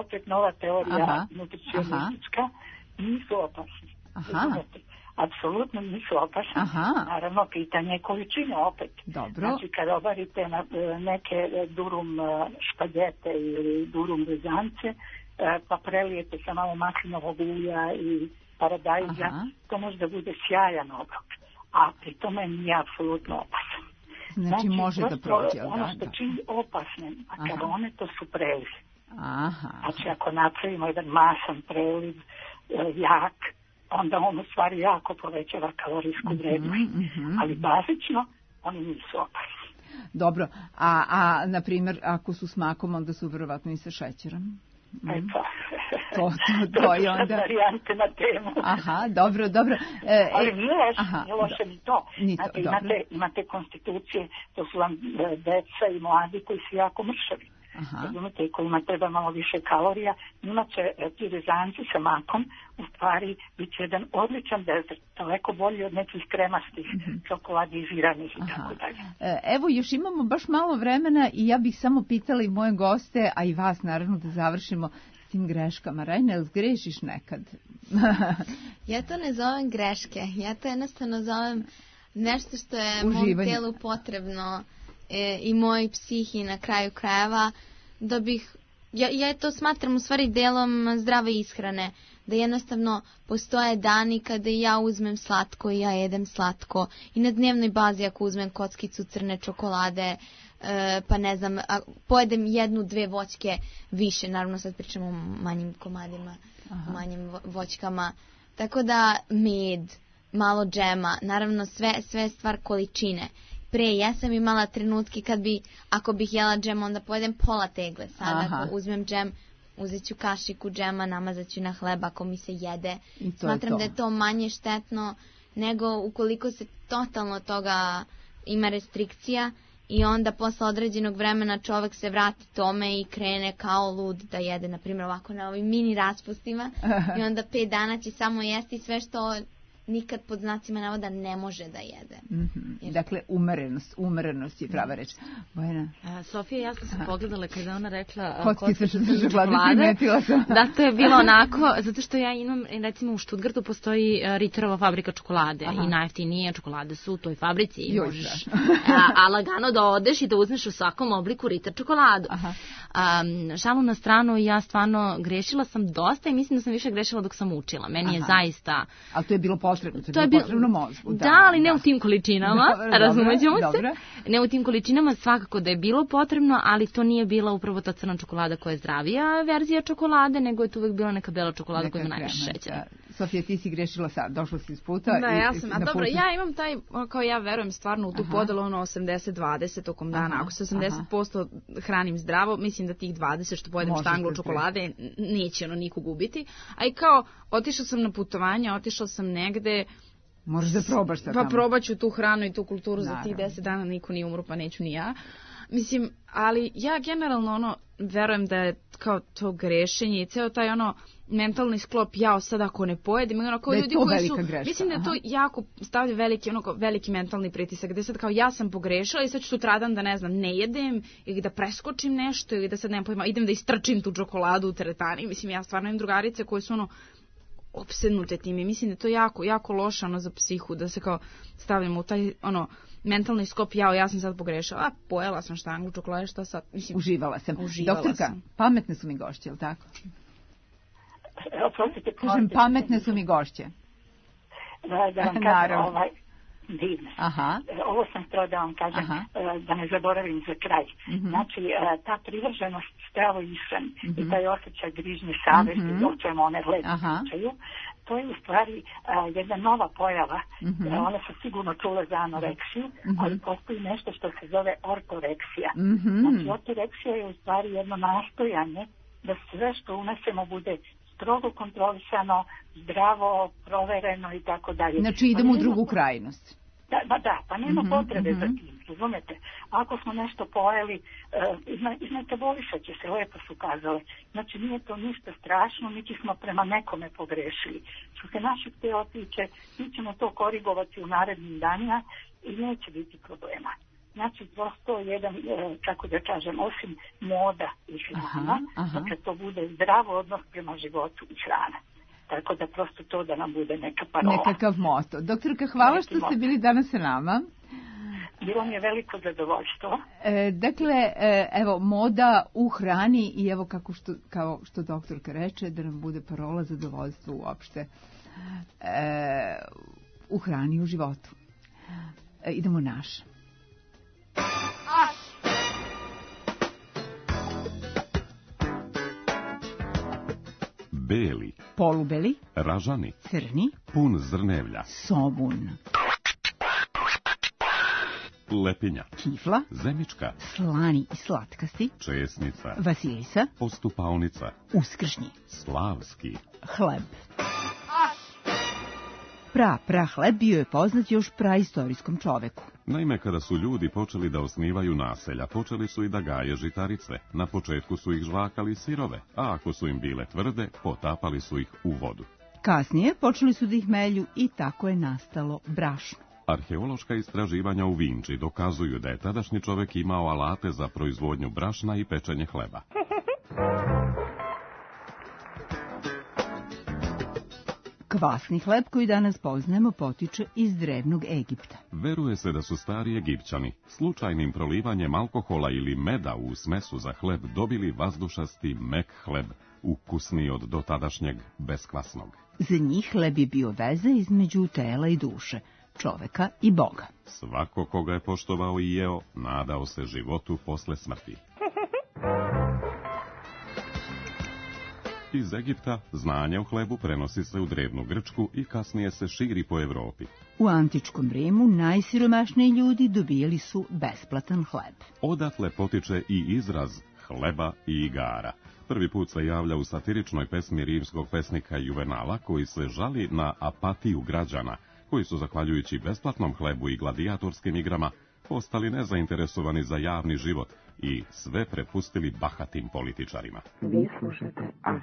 Opet nova teorija nutricionistička. Nisu opasni. Apsolutno nisu opasni. Naravno, pitanje je količine opet. Dobro. Znači, kad obarite neke durum špagete ili durum rezance, pa prelijete sa malo maslinovog ulja i paradajza, to može da bude sjajan obrok. A pri tome nije apsolutno opasan. Znači, može da prođe. Ono što čini opasne makarone, to su preliv. Znači, ako napravimo jedan masan preliv, jak, onda on u stvari jako povećava kalorijsku vrednost. Ali bazično oni nisu opasni. Dobro, a na primjer ako su s makom, onda su vjerovatno i sa šećerom. To je onda varijante na temu. Dobro. Ali nije loše ni to. Imate konstitucije, to su vam deca i mladi koji su jako mršavi. Razumite, i kojima treba malo više kalorija, njima će ti rezanci sa makom u stvari biti jedan odličan dezert, daleko bolji od nekih kremastih čokoladiziranih i tako dalje. Evo, još imamo baš malo vremena i ja bih samo pitala i moje goste, a i vas naravno, da završimo s tim greškama. Rajna, jel zgrešiš nekad? Ja to ne zovem greške, ja to jednostavno zovem nešto što je mom tijelu potrebno i moj psihi na kraju krajeva, da bih, ja to smatram u stvari delom zdrave ishrane, da jednostavno postoje dani kada ja uzmem slatko i ja jedem slatko i na dnevnoj bazi ako uzmem kockicu crne čokolade, pa ne znam, pojedem 1-2 voćke više, naravno sad pričamo o manjim komadima, o manjim voćkama, tako da med, malo džema, naravno sve stvar količine. Pre ja sam imala trenutke kad ako bih jela džem, onda pojedem pola tegle. Sada ako uzmem džem, uzet ću kašiku džema, namazat ću na hleba ako mi se jede. Smatram da je to manje štetno nego ukoliko se totalno toga ima restrikcija i onda posle određenog vremena čovek se vrati tome i krene kao lud da jede, na primjer ovako na ovim mini raspustima i onda 5 dana će samo jesti sve što nikad pod znacima navoda ne može da jede. Dakle, umerenost je prava reč. Bojana? Sofija, jasno sam pogledala kada ona rekla kockice čokolade, primetila sam. Da, to je bilo onako, zato što ja imam, recimo u Stuttgartu postoji Ritterova fabrika čokolade i najjeftinije čokolade su u toj fabrici i možeš a lagano da odeš i da uzmeš u svakom obliku Ritter čokoladu. Šalu na stranu, ja stvarno grešila sam dosta i mislim da sam više grešila dok sam učila. Meni je zaista... Ali to je bilo potrebno, to je bilo potrebno mozgu. Da, ali ne u tim količinama, razumećemo se. Ne u tim količinama, svakako da je bilo potrebno, ali to nije bila upravo ta crna čokolada koja je zdravija verzija čokolade, nego je to uvek bila neka bela čokolada koja ima najviše šećera. Sofija, ti si grešila sad, došla si iz puta. Da, ja sam, dobro, ja imam taj, kao ja verujem stvarno u tu podelu 80-20 tokom dana. Ako se 80% hranim zdravo, mislim da tih 20 što pojedem štanglu čokolade neće nikog ubiti. A i kao, otišla sam na putovanje, otišla sam negde. Možeš da probaš sad tamo. Pa probat ću tu hranu i tu kulturu za tih 10 dana, niko nije umro, pa neću ni ja. Mislim, ali ja generalno verujem da je kao to grešenje i ceo taj mentalni sklop, ja sad ako ne pojedim, kao ljudi koji su, mislim da je to jako stavlja veliki mentalni pritisak, gde sad kao ja sam pogrešila i sad ću sutradan da ne jedem ili da preskočim nešto ili da sad ne pojedem, idem da istrčim tu čokoladu u teretani. Mislim, ja stvarno imam drugarice koje su opsednute tim i mislim da je to jako, jako loše za psihu, da se kao stavljamo u taj mentalni skop, ja sam sad pogrešala, pojela sam štanglu čokolade, šta sad? Mislim, uživala sam. Doktorka, pametne su mi gošće, je li tako? Kažem, pametne su mi gošće. Da vam kažem, divne. Ovo sam htjela da vam kažem, da ne zaboravim za kraj. Znači, ta privrženost zdravoj ishrani i taj osjećaj grižnje savesti, o čemu one lepo pričaju, to je u stvari jedna nova pojava. One su sigurno čule za anoreksiju, ali postoji nešto što se zove ortoreksija. Znači, ortoreksija je u stvari jedno nastojanje da sve što unesemo bude strogo kontrolisano, zdravo, provereno i tako dalje. Znači, idemo u drugu krajnost. Pa nema potrebe za tim, razumete? Ako smo nešto pojeli, izmetabolisat će se, lepo su kazale. Znači, nije to ništa strašno, niti smo prema nekome pogrešili. Što se našeg tela tiče, mi ćemo to korigovati u narednim danima i neće biti problema. Znači, prosto jedan, kako da kažem, osim moda i hrana, dakle to bude zdrav odnos prema životu i hrana. Tako da prosto to da nam bude neka parola. Nekakav moto. Doktorka, hvala što ste bili danas sa nama. Bilo mi je veliko zadovoljstvo. Dakle, evo, moda u hrani i evo kao što doktorka reče, da nam bude parola zadovoljstva uopšte u hrani i u životu. Idemo naš. Beli, polubeli, ražani, crni, pun zrnevlja, somun, lepinja, kifla, zemička, slani i slatkasti, česnica, vasilisa, postupalnica, uskršnji, slavski, hleb. Hleb bio je poznat još praistorijskom čoveku. Naime, kada su ljudi počeli da osnivaju naselja, počeli su i da gaje žitarice. Na početku su ih žvakali sirove, a ako su im bile tvrde, potapali su ih u vodu. Kasnije počeli su da ih melju i tako je nastalo brašno. Arheološka istraživanja u Vinči dokazuju da je tadašnji čovek imao alate za proizvodnju brašna i pečenje hleba. Kvasni hleb koji danas poznajemo potiče iz drevnog Egipta. Veruje se da su stari Egipćani slučajnim prolivanjem alkohola ili meda u smesu za hleb dobili vazdušasti mek hleb, ukusniji od dotadašnjeg beskvasnog. Za njih hleb je bio veza između tela i duše, čoveka i Boga. Svako koga je poštovao i jeo, nadao se životu posle smrti. Iz Egipta znanje o hlebu prenosi se u drevnu Grčku i kasnije se širi po Evropi. U antičkom Rimu najsiromašniji ljudi dobijali su besplatan hleb. Odatle potiče i izraz hleba i igara. Prvi put se javlja u satiričnoj pesmi rimskog pesnika Juvenala, koji se žali na apatiju građana, koji su, zahvaljujući besplatnom hlebu i gladijatorskim igrama, postali nezainteresovani za javni život i sve prepustili bahatim političarima. Vi slušate Aš.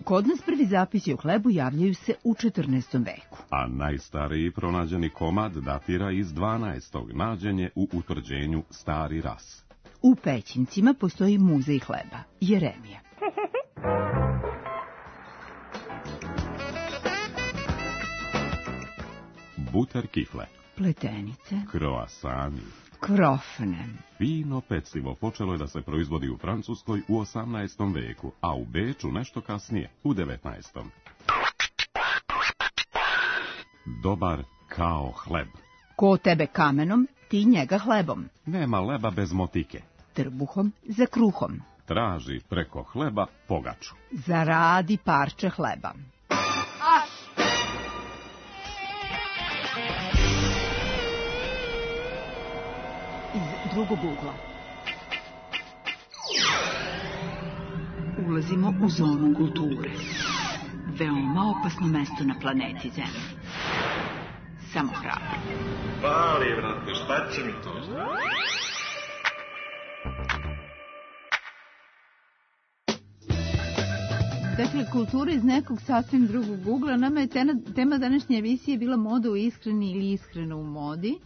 Kod nas prvi zapisi o hlebu javljaju se u 14. veku. A najstariji pronađeni komad datira iz 12. nađen je u utvrđenju Stari Ras. U Pećincima postoji muzej hleba, Jeremija. Buter kifle, Pletenice, kroasani, krofne. Fino pecivo počelo je da se proizvodi u Francuskoj u 18. veku, a u Beču nešto kasnije, u 19. Dobar kao hleb. Ko tebe kamenom, ti njega hlebom. Nema leba bez motike. Trbuhom za kruhom. Traži preko hleba pogaču. Zaradi parče hleba. Iz drugog ugla. Ulazimo u zonu kulture. Veoma opasno mesto na planeti Zemlji. Samo hrabro. Pali, brate, šta će mi to? Dakle, kultura iz nekog sasvim drugog ugla. Nama je tema današnje emisije bila moda u ishrani ili ishrana u modi.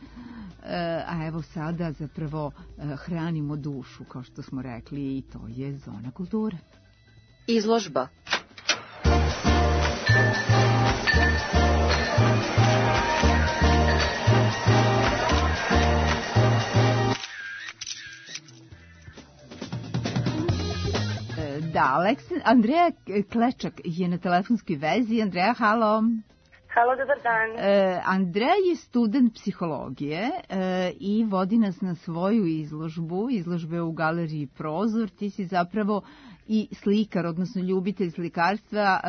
A evo sada zapravo hranimo dušu, kao što smo rekli, i to je zona kulture. Izložba. Da, Andreja Klečak je na telefonskoj vezi. Andreja, halo. Halo, dobar dan. Andreja je student psihologije i vodi nas na svoju izložbe u galeriji Prozor. Ti si zapravo i slikar, odnosno ljubitelj slikarstva,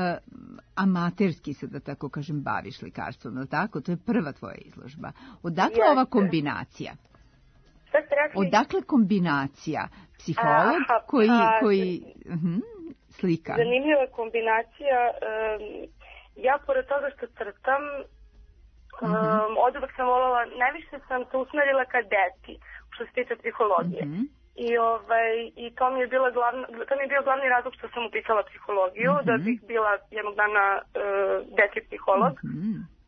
amaterski se, da tako kažem, baviš slikarstvom, je li tako? To je prva tvoja izložba. Odakle ova kombinacija? Šta ste rekli? Odakle kombinacija? Psiholog koji slika. Zanimljiva kombinacija. Ja, pored toga što crtam, od uvek sam voljela, najviše sam se usmerila ka deci, što se tiče psihologije. I to mi je bio glavni razlog što sam upisala psihologiju, da bih bila jednog dana dečji psiholog.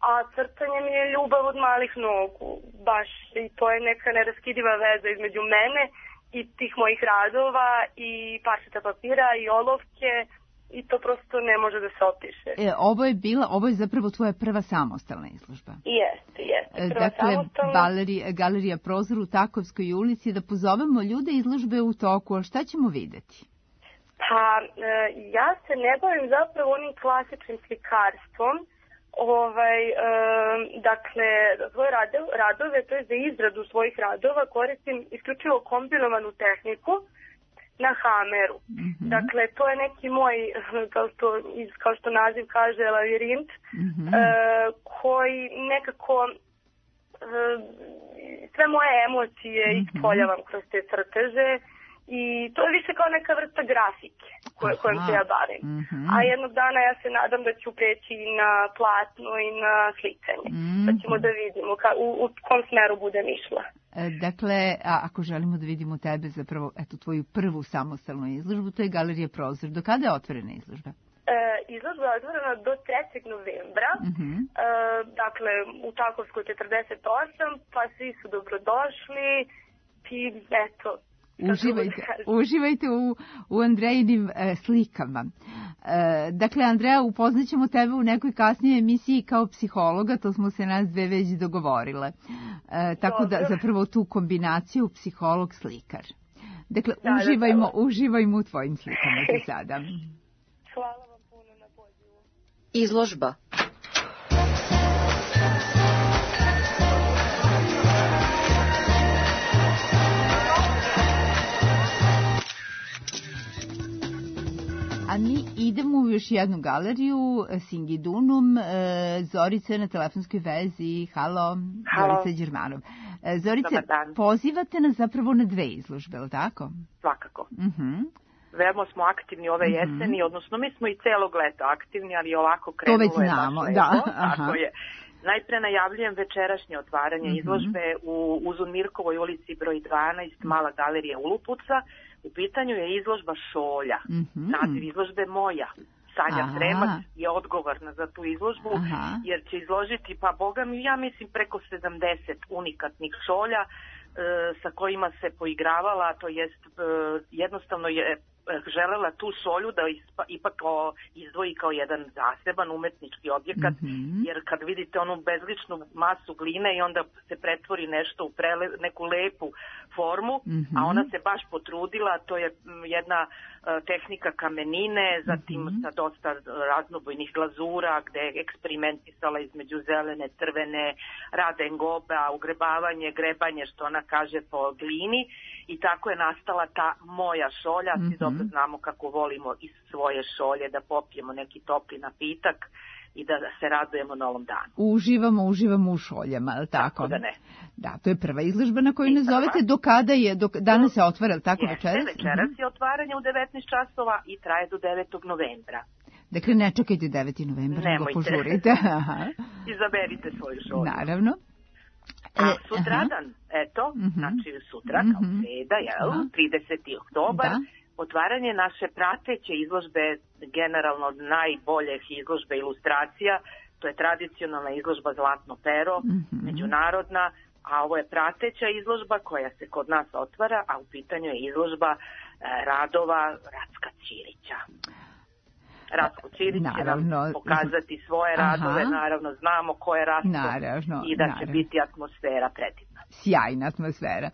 A crtanje mi je ljubav od malih nogu, baš, i to je neka neraskidiva veza između mene i tih mojih radova i parčeta papira i olovke. I to prosto ne može da se opiše. Ovo je zapravo tvoja prva samostalna izložba. Jeste. Prva samostalna. Galerija Prozor u Takovskoj ulici. Da pozovemo ljude, izložbe u toku, a šta ćemo videti? Pa, ja se ne bavim zapravo onim klasičnim slikarstvom. Dakle, svoje radove, to je za izradu svojih radova, koristim isključivo kombinovanu tehniku na hameru. Dakle, to je neki moj, kao što naziv kaže, lavirint, koji nekako sve moje emocije ispoljavam kroz te crteže i to je više kao neka vrsta grafike kojom se ja bavim. A jednog dana ja se nadam da ću preći na platno i na slikanje. Pa ćemo da vidimo u kom smeru budem išla. Dakle, ako želimo da vidimo tebe, zapravo, eto, tvoju prvu samostalnu izložbu, to je Galerija Prozor. Do kada je otvorena izložba? Izložba je otvorena do 3. novembra, dakle, u Takovskoj 48, pa svi su dobrodošli i eto, Uživajte u Andrejinim slikama. Dakle, Andreja, upoznaćemo tebe u nekoj kasnijoj emisiji kao psihologa, to smo se nas dve već dogovorile. Tako da zapravo tu kombinaciju psiholog-slikar. Dakle, uživajmo u tvojim slikama za sada. Hvala vam puno na pozivu. Izložba. A mi idemo u još jednu galeriju, Singidunum, Zorica na telefonskoj vezi. Halo. Zorica Đermanov. Zorica, pozivate nas zapravo na dve izložbe, je li tako? Svakako. Veoma smo aktivni ove jeseni, odnosno mi smo i celog leta aktivni, ali ovako krenulo je. To već znamo, da. Tako je. Najpre najavljujem večerašnje otvaranje izložbe u Uzun Mirkovoj ulici broj 12, Mala galerija Ulupuca. U pitanju je izložba šolja. Naziv izložbe Moja. Sanja Sremac je odgovorna za tu izložbu, jer će izložiti, pa boga mi, ja mislim, preko 70 unikatnih šolja sa kojima se poigravala, to jest jednostavno je želela tu šolju da ipak izdvoji kao jedan zaseban umetnički objekat, jer kad vidite onu bezličnu masu gline i onda se pretvori nešto u neku lepu formu, a ona se baš potrudila, to je jedna tehnika kamenine, zatim sa dosta raznobojnih glazura, gde je eksperimentisala između zelene, crvene, radengoba, ugrebavanje, grebanje, što ona kaže, po glini, i tako je nastala ta Moja šolja. Svi dobro znamo kako volimo iz svoje šolje da popijemo neki topli napitak i da se radujemo novom danu. Uživamo u šoljama, je li tako? Tako da ne. Da, to je prva izložba na koju ne zovete. Do kada je? Danas se otvara, je li tako, večeras? Večeras je otvaranje u 19 časova i traje do 9. novembra. Dakle, ne čekajte 9. novembra, nego požurite. Izaberite svoju šolju. Naravno. A sutradan, znači sutra, kao sreda, 30. oktobar, otvaranje naše prateće izložbe, generalno najboljih izložbe ilustracija, to je tradicionalna izložba Zlatno pero, međunarodna, a ovo je prateća izložba koja se kod nas otvara, a u pitanju je izložba radova Racka Ćirića. Ratko Ćirić će nam pokazati svoje radove, naravno znamo ko je Ratko i da će biti atmosfera predivna. Sjajna atmosfera.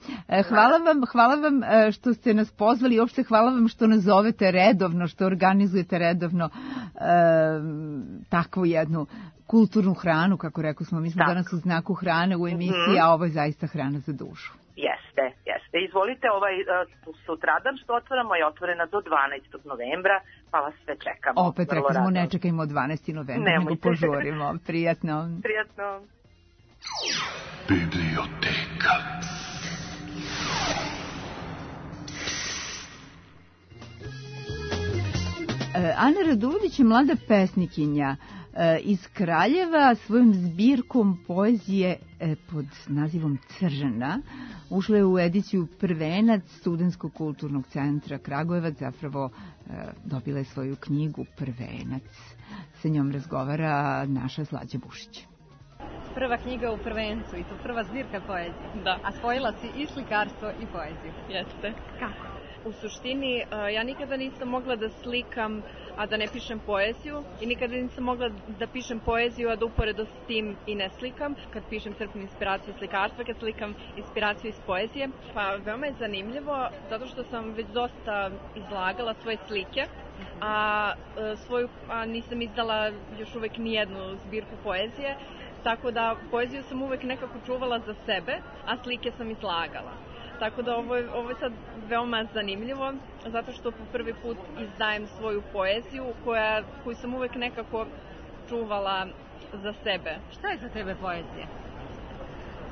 Hvala vam što ste nas pozvali i uopšte hvala vam što nas zovete redovno, što organizujete redovno takvu jednu kulturnu hranu, kako rekao smo, mi smo danas u znaku hrane u emisiji, a ovo je zaista hrana za dušu. Jeste. Izvolite, sutradan što otvaramo je otvorena do 12. novembra, pa vas sve čekamo. Opet rekli smo, ne čekajmo 12. novembra, nego požurimo. Prijatno. Biblioteka. Ana Radulović je mlada pesnikinja iz Kraljeva. Svojom zbirkom poezije pod nazivom Crna ušla je u ediciju Prvenac Studentskog kulturnog centra Kragujevac, zapravo dobila je svoju knjigu Prvenac. Sa njom razgovara naša Slađa Bušić. Prva knjiga u Prvencu i to prva zbirka poezije. Da. A spojila si i slikarstvo i poeziju. Jeste. Kako? U suštini, ja nikada nisam mogla da slikam, a da ne pišem poeziju, i nikada nisam mogla da pišem poeziju, a da uporedo s tim i ne slikam. Kad pišem, crpim inspiraciju iz slikarstva, kad slikam inspiraciju iz poezije. Pa veoma je zanimljivo, zato što sam već dosta izlagala svoje slike, a nisam izdala još uvek nijednu zbirku poezije, tako da poeziju sam uvek nekako čuvala za sebe, a slike sam izlagala. Tako da ovo je sad veoma zanimljivo, zato što po prvi put izdajem svoju poeziju koju sam uvek nekako čuvala za sebe. Šta je za tebe poezija?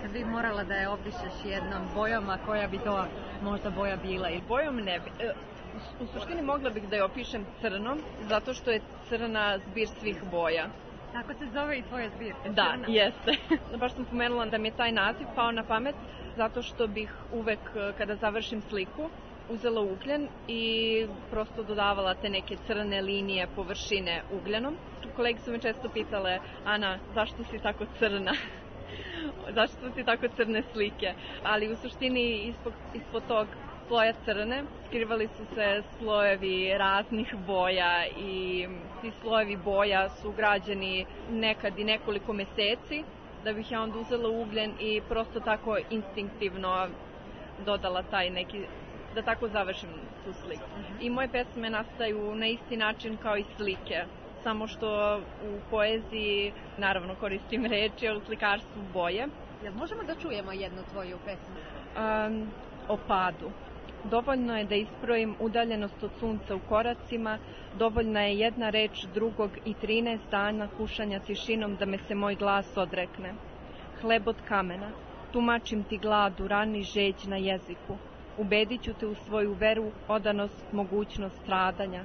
Kad bi morala da je opišeš jednom bojom, a koja bi to možda boja bila? Bojom ne bi. U suštini mogla bih da je opišem crnom, zato što je crna zbir svih boja. Tako se zove i tvoja zbirka? Da, jeste. Baš sam pomenula da mi je taj naziv pao na pamet, zato što bih uvek, kada završim sliku, uzela ugljen i prosto dodavala te neke crne linije površine ugljenom. Kolege su me često pitale, Ana, zašto si tako crna? Zašto si tako crne slike? Ali u suštini ispod tog sloja crne, skrivali su se slojevi raznih boja i ti slojevi boja su građeni nekad i nekoliko meseci, da bih ja onda uzela ugljen i prosto tako instinktivno dodala taj neki, da tako završim tu sliku. I moje pesme nastaju na isti način kao i slike, samo što u poeziji naravno koristim reči, a u slikarstvu boje. Jel možemo da čujemo jednu tvoju pesmu? O padu. Dovoljno je da isprojim udaljenost od sunca u koracima, dovoljna je jedna reč drugog i 13 dana kušanja tišinom da me se moj glas odrekne. Hleb od kamena, tumačim ti gladu, rani žeđ na jeziku. Ubedit ću te u svoju veru, odanost, mogućnost stradanja.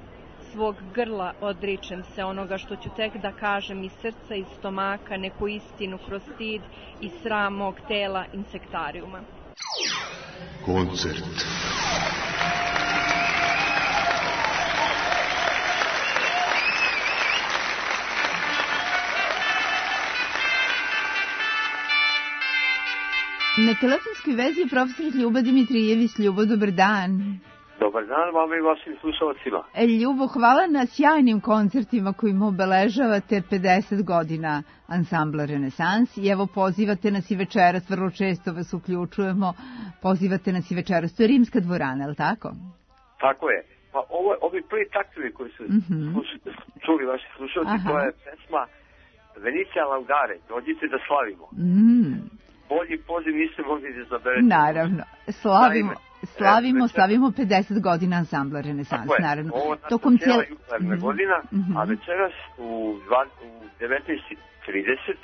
Svog grla odričem se onoga što ću tek da kažem iz srca, iz stomaka, neku istinu kroz stid i sram mog tela insektariuma. Koncert. Na telefonskoj vezi je profesor Ljubo Dimitrijević. Ljubo, dobar dan. Dobar dan vama i vašim slušalcima. Ljubo, hvala na sjajnim koncertima kojim obeležavate 50 godina ansambla Renesans. I evo, pozivate nas i večeras, vrlo često vas uključujemo, pozivate nas i večeras. To je Rimska dvorana, je li tako? Tako je. Pa ovi prvi taktovi koji su čuli vaši slušalci, to je pesma Venicija Laudare, dođite da slavimo. Bolji poziv niste mogli da zaberete. Naravno, slavimo 50 godina ansambla Renesans, naravno. Ovo je cijela jubilarna godina, a večeras u 19:30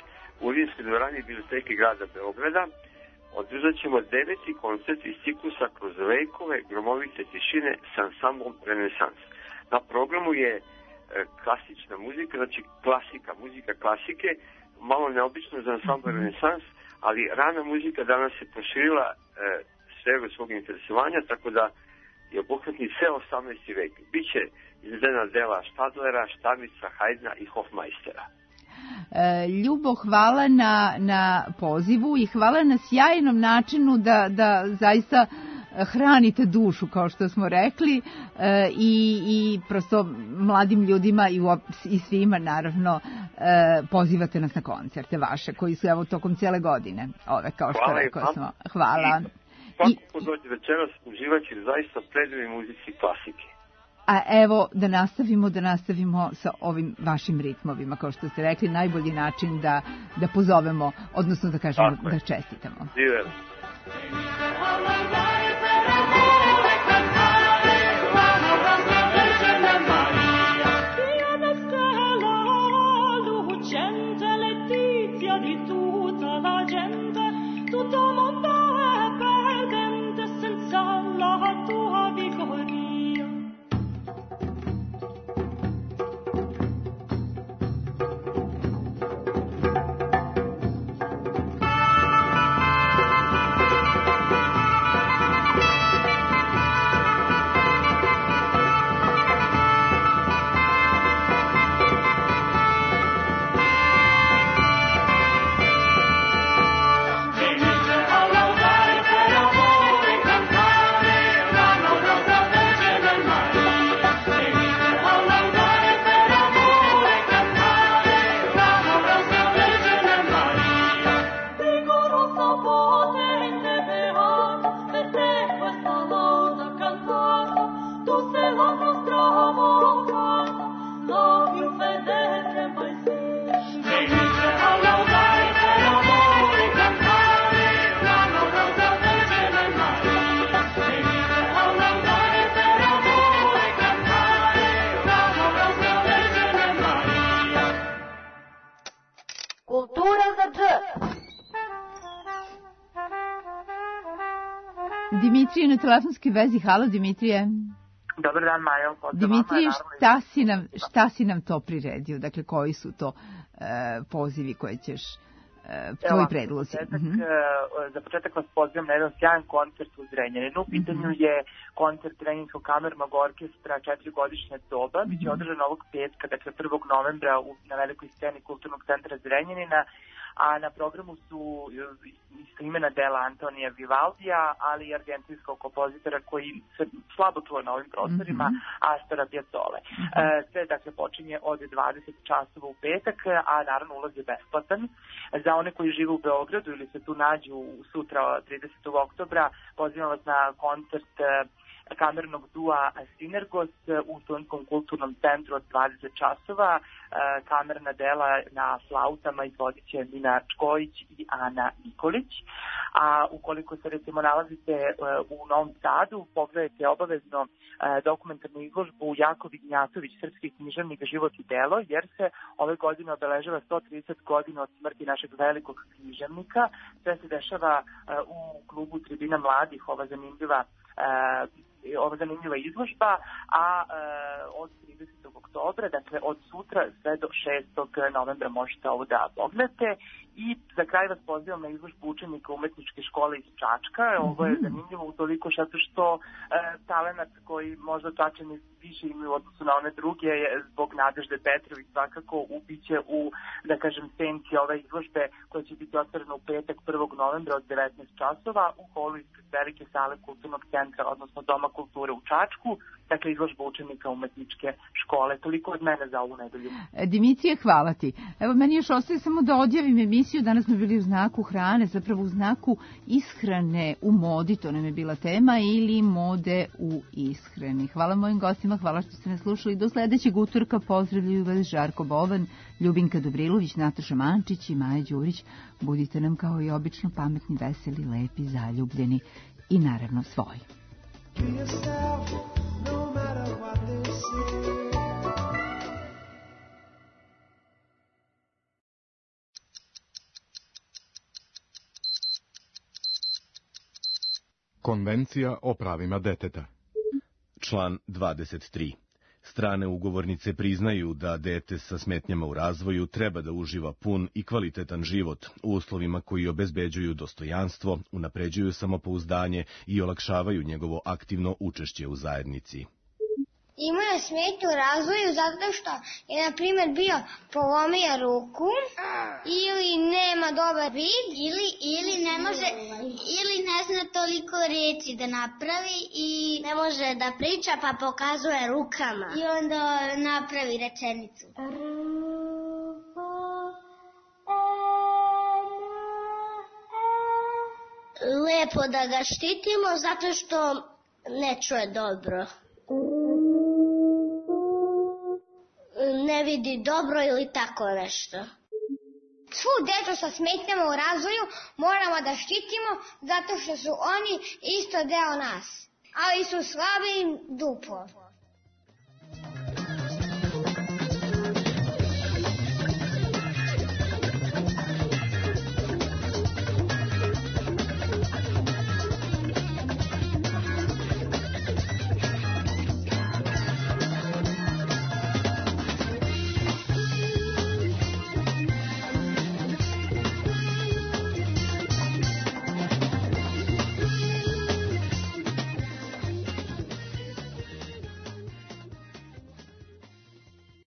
u Rimskoj dvorani Biblioteke grada Beograda održat ćemo 9. koncert iz ciklusa Kroz vekove gromovite tišine s ansamblom Renesans. Na programu je klasična muzika, znači muzika klasike, malo neobično za ansambl Renesans, ali rana muzika danas se proširila sferu svog interesovanja, tako da je obuhvatni ceo 18. vek. Biće izvedena dela Štadlera, Štarnica, Hajdna i Hofmeistera. Ljubo, hvala na pozivu i hvala na sjajnom načinu da zaista hranite dušu, kao što smo rekli, i prosto mladim ljudima i svima, naravno, pozivate nas na koncerte vaše, koji su evo tokom cijele godine, kao što rekao smo. Hvala. Svako ko dođe večeras uživat će zaista predivnoj muzici klasike. A evo, da nastavimo sa ovim vašim ritmovima, kao što ste rekli, najbolji način da pozovemo, odnosno da kažemo da čestitamo. Živjeli. Dimitrije na telefonskoj vezi. Halo, Dimitrije. Dobar dan, Majo. Dimitrije, šta si nam to priredio? Dakle, koji su to pozivi koje ćeš, tvoji predlozi? Za početak vas pozivam na jedan sjajan koncert u Zrenjaninu. U pitanju je koncert Zrenjaninskog kamernog orkestra 4-godišnje doba. Biće održan ovog petka, dakle 1. novembra na velikoj sceni Kulturnog centra Zrenjanina. a na programu su istoimena dela Antonija Vivaldija, ali i argentinskog kompozitora koji se slabo čuo na ovim prostorima, Astora Piazzole. Sve dakle počinje od 20 časova u petak, a naravno ulaz je besplatan. Za one koji žive u Beogradu ili se tu nađu sutra 30. oktobra, pozivam vas na koncert kamernog dua Sinergos u Studentskom kulturnom centru od 20 časova. Kamerna dela na flautama izvodit će Mina Čkojić i Ana Nikolić. A ukoliko se recimo nalazite u Novom Sadu, pogledajte obavezno dokumentarnu izložbu Jako Vignjatović, srpski književnik, život i delo, jer se ove godine obeležava 130 godina od smrti našeg velikog književnika. Sve se dešava u klubu Tribina mladih, ova zanimljiva izložba, a od 30. oktobra, dakle od sutra sve do 6. novembra možete ovo da pogledate. I za kraj vas pozivam na izložbu učenika umetničke škole iz Čačka. Ovo je zanimljivo utoliko što talenat koji možda Čačani više imaju u odnosu na one druge zbog Nadežde Petrović svakako ubiće u, da kažem, senci ove izložbe koja će biti otvorena u petak 1. novembra od 19 časova u holu ispred velike sale kulturnog centra, odnosno Doma kulture u Čačku, dakle izložba učenika umetničke škole. Toliko od mene za ovu nedelju. Dimitrije, hvala ti. Evo, meni još ostaje samo da odjavim emisiju. Danas smo bili u znaku hrane, zapravo u znaku ishrane u modi, to nam je bila tema, ili mode u ishrani. Hvala mojim gostima, hvala što ste nas slušali. Do sledećeg utorka pozdravljaju vas Žarko Bovan, Ljubinka Dobrilović, Nataša Mančić i Maja Đurić. Budite nam kao i obično pametni, veseli, lepi, zaljubljeni i naravno svoji. Konvencija o pravima deteta. Član 23. Strane ugovornice priznaju da dete sa smetnjama u razvoju treba da uživa pun i kvalitetan život u uslovima koji obezbeđuju dostojanstvo, unapređuju samopouzdanje i olakšavaju njegovo aktivno učešće u zajednici. Imao je smetnju u razvoju zato što je, na primjer, bio polomio ruku ili nema dobar vid ili ne može ili ne zna toliko reči da napravi i ne može da priča pa pokazuje rukama i onda napravi rečenicu. Lepo da ga štitimo zato što ne čuje dobro. Ne vidi dobro ili tako nešto. Svu decu sa smetnjama u razvoju moramo da štitimo zato što su oni isto deo nas, ali su slabi duplo.